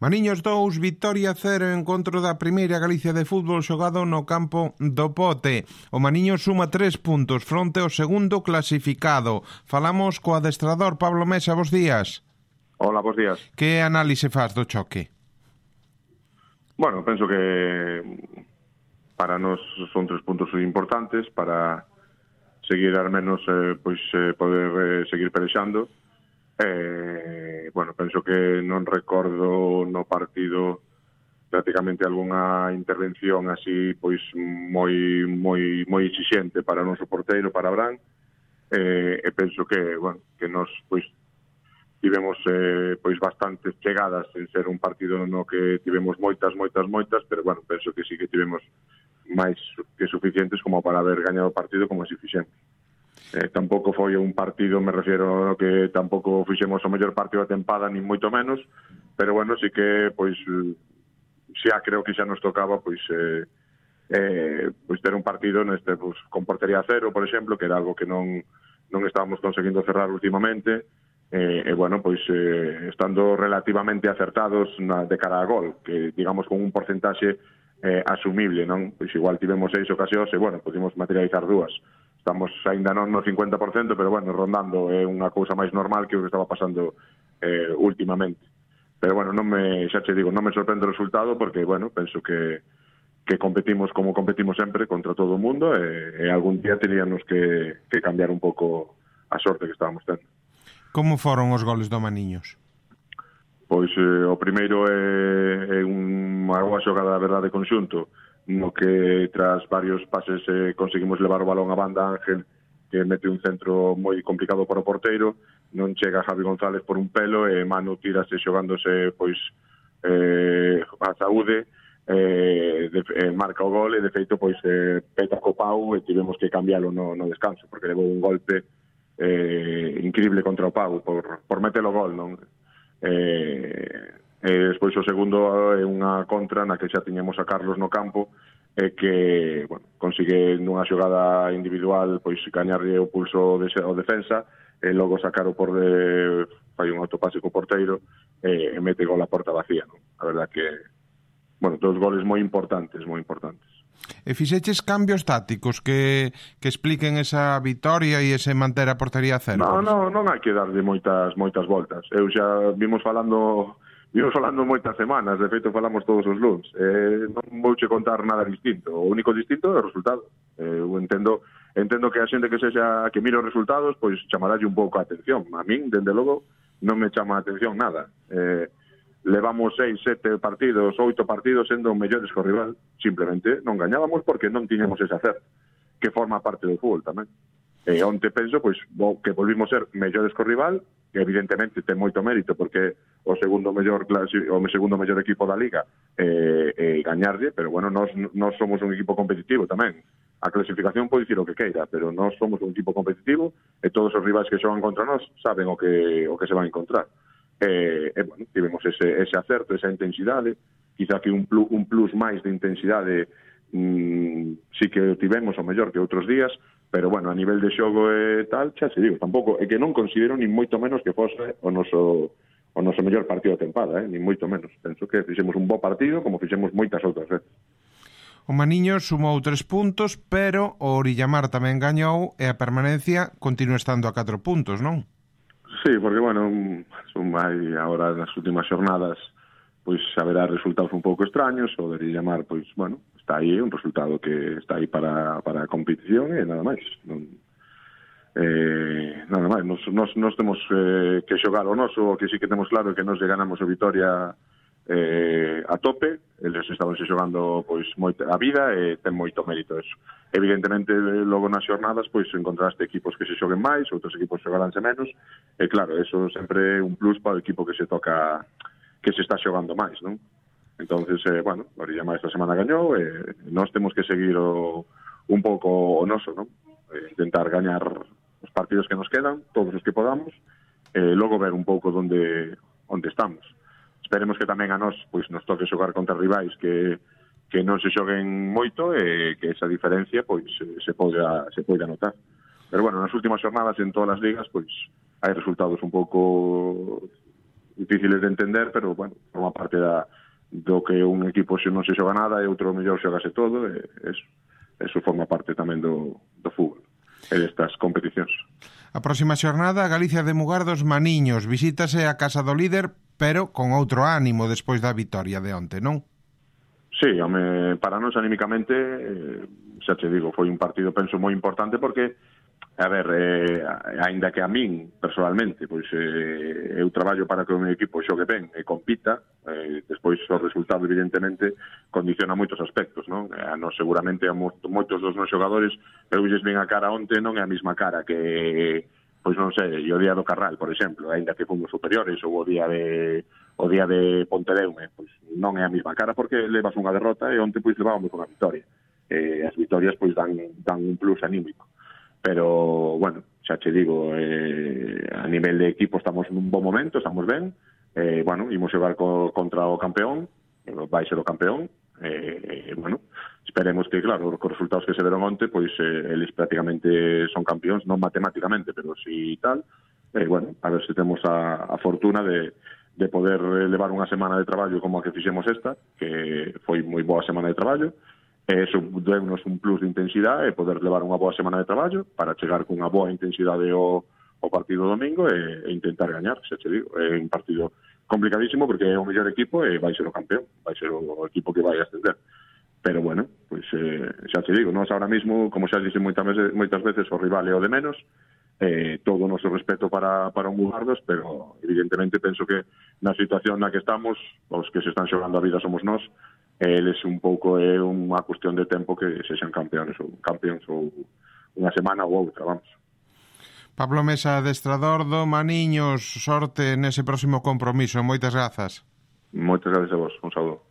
Mariños 2, Vitoria 0, encontro da primeira Galicia de fútbol xogado no campo do Pote. O Mariños suma 3 puntos fronte ao segundo clasificado. Falamos co adestrador Pablo Mesa, bos días. Hola, bos días. Que análise faz do choque? Bueno, penso que para nós son 3 puntos importantes para seguir al menos poder seguir pelexando. Bueno, penso que non recordo no partido prácticamente algunha intervención así pois moi exixente para o noso porteiro, para Abraham, e penso que, bueno, que nós pois tivemos pois bastantes chegadas en ser un partido no que tivemos moitas, pero bueno, penso que sí que tivemos máis que suficientes como para haber gañado o partido como así fixemos. Tampouco foi un partido, me refiero que tampouco fixemos o mellor partido da tempada, nin moito menos, pero bueno, sí que pois xa creo que xa nos tocaba pois ter un partido neste pois con portería cero, por exemplo, que era algo que non estábamos conseguindo cerrar últimamente, e bueno, pois estando relativamente acertados de cara a gol, que digamos con un porcentaxe asumible, non? Pois igual tivemos 6 ocasións e bueno, podemos materializar 2. Estamos aínda non no 50%, pero bueno, rondando é unha cousa máis normal que o que estaba pasando últimamente. Pero bueno, xa te digo, non me sorprende o resultado porque, bueno, penso que competimos como competimos sempre contra todo o mundo e algún día teríamos que cambiar un pouco a sorte que estábamos tendo. Como foron os goles do Maniños? Pois o primeiro é unha boa xogada da verdade conxunto, no que tras varios pases conseguimos levar o balón a banda. Ángel, que mete un centro moi complicado para o porteiro, non chega Javi González por un pelo e Manu tírase xogándose pois a saúde, marca o gol e de feito pois peta co pau e tivemos que cambiálo no descanso porque levou un golpe increíble contra o pau por metelo gol, non? Despois o segundo é unha contra na que xa tiñamos a Carlos no campo e que, bueno, consigue nunha xogada individual pois gañarlle o pulso ao defensa e logo sacar o fai un autopase co porteiro e mete gol a porta vacía, non? A verdad que, bueno, todos goles moi importantes. E fixeches cambios tácticos que expliquen esa vitoria e ese manter a portería a cero? Non hai que darlle moitas voltas. Eu xa vimos falando moitas semanas, de feito falamos todos os luns. Non vouche contar nada distinto. O único distinto é o resultado. Eu entendo que a xente que mire os resultados, pois chamaralle un pouco a atención. A min, dende logo, non me chama a atención nada. Levamos 6, 7 partidos, 8 partidos sendo mellores co rival. Simplemente non gañábamos porque non tiñamos ese acerto, que forma parte do fútbol tamén. Onte penso pois que volvimos ser mellores co rival, que evidentemente ten moito mérito porque o segundo mellor equipo da Liga e gañarlle, pero bueno, nós somos un equipo competitivo tamén. A clasificación pode dicir o que queira, pero nós somos un equipo competitivo e todos os rivais que xogan contra nós saben o que se van a encontrar. Bueno, tivemos ese acerto, esa intensidade, quizá que un plus máis de intensidade sí que tivemos o mellor que outros días, pero bueno, a nivel de xogo e tal, xa se digo, tampouco é que non considero nin moito menos que fose o noso mellor partido da tempada, nin moito menos. Penso que fixemos un bo partido como fixemos moitas outras veces. O Maniños sumou 3 puntos, pero o Orillamar tamén gañou e a permanencia continúa estando a 4 puntos, non? Sí, porque, bueno, hai agora nas últimas xornadas pois haberá resultados un pouco extraños, o de Orillamar, pois, bueno, está aí, un resultado que está aí para a competición e nada máis. Nada máis, nos temos que xogar o noso, o que sí que temos claro que nos ganamos o Vitoria a tope, eles estabanse xogando pois a vida e ten moito mérito eso. Evidentemente, logo nas xornadas pois encontraste equipos que se xoguen máis, outros equipos xogaránse menos, e claro, eso sempre é un plus para o equipo que se toca, que se está xogando máis, non? Entonces, bueno, Orillamar esta semana gañou e nós temos que seguir un pouco o noso, non? Intentar gañar os partidos que nos quedan, todos os que podamos, e logo ver un pouco onde estamos. Esperemos que tamén a nós pois nos toque xogar contra rivais que non se xoguen moito e que esa diferencia pois se poida notar. Pero bueno, nas últimas xornadas en todas as ligas pois hai resultados un pouco difíciles de entender, pero, bueno, forma parte do que un equipo non se xoga nada e outro mellor xogase todo, e eso forma parte tamén do fútbol e destas competicións. A próxima xornada, Galicia de Mugardos Maniños, visítase a casa do líder, pero con outro ánimo despois da vitoria de onte, non? Sí, home, para nós anímicamente, xa te digo, foi un partido, penso, moi importante porque, a ver, aínda que a min, personalmente, pois eu traballo para que o meu equipo xogue ben e compita, despois o resultado, evidentemente, condiciona moitos aspectos, non? A nos, seguramente, a moitos dos meus xogadores, eu lles ven a cara onte, non é a mesma cara que, pois non sei, o día do Carral, por exemplo, aínda que fomos superiores, ou o día de Pontedeume, pois non é a mesma cara porque levas unha derrota e onte pois levábamos unha victoria. As vitorias pois dan un plus anímico. Pero, bueno, xa che digo, a nivel de equipo estamos nun bon momento, estamos ben, bueno, imos xogar contra o campeón, vai ser o campeón, bueno, esperemos que, claro, os resultados que se deron onte, pois eles prácticamente son campeóns, non matemáticamente, pero si tal, bueno, a ver se temos a fortuna de poder levar unha semana de traballo como a que fixemos esta, que foi moi boa semana de traballo, e eso deu-nos un plus de intensidade e poder levar unha boa semana de traballo para chegar con unha boa intensidade ao partido domingo e intentar gañar, xa che digo. É un partido complicadísimo porque é o mellor equipo e vai ser o campeón, vai ser o equipo que vai ascender. Pero bueno, pois xa te digo, nós ahora mismo, como xa dixen moitas veces, o rival é o de menos, todo o noso respeto para o Mugardos, pero evidentemente penso que na situación na que estamos, os que se están xogando a vida somos nós, eles un pouco é unha cuestión de tempo que sexan campeóns ou unha semana ou outra, vamos. Pablo Mesa, adestrador do Maniños, sorte nese próximo compromiso. Moitas grazas. Moitas grazas a vos, un saúdo.